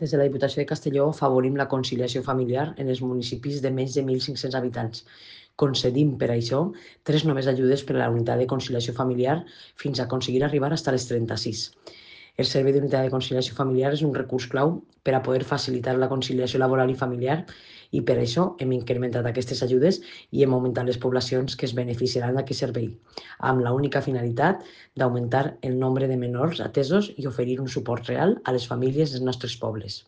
Des de la Diputació de Castelló afavorim la conciliació familiar en els municipis de menys de 1.500 habitants. Concedim, per això, 3 noves ajudes per a la unitat de conciliació familiar fins a aconseguir arribar fins a les 36. El Servei d'Unitat de Conciliació Familiar és un recurs clau per a poder facilitar la conciliació laboral i familiar i per això hem incrementat aquestes ajudes i hem augmentat les poblacions que es beneficiaran d'aquest servei, amb la única finalitat d'augmentar el nombre de menors atesos i oferir un suport real a les famílies dels nostres pobles.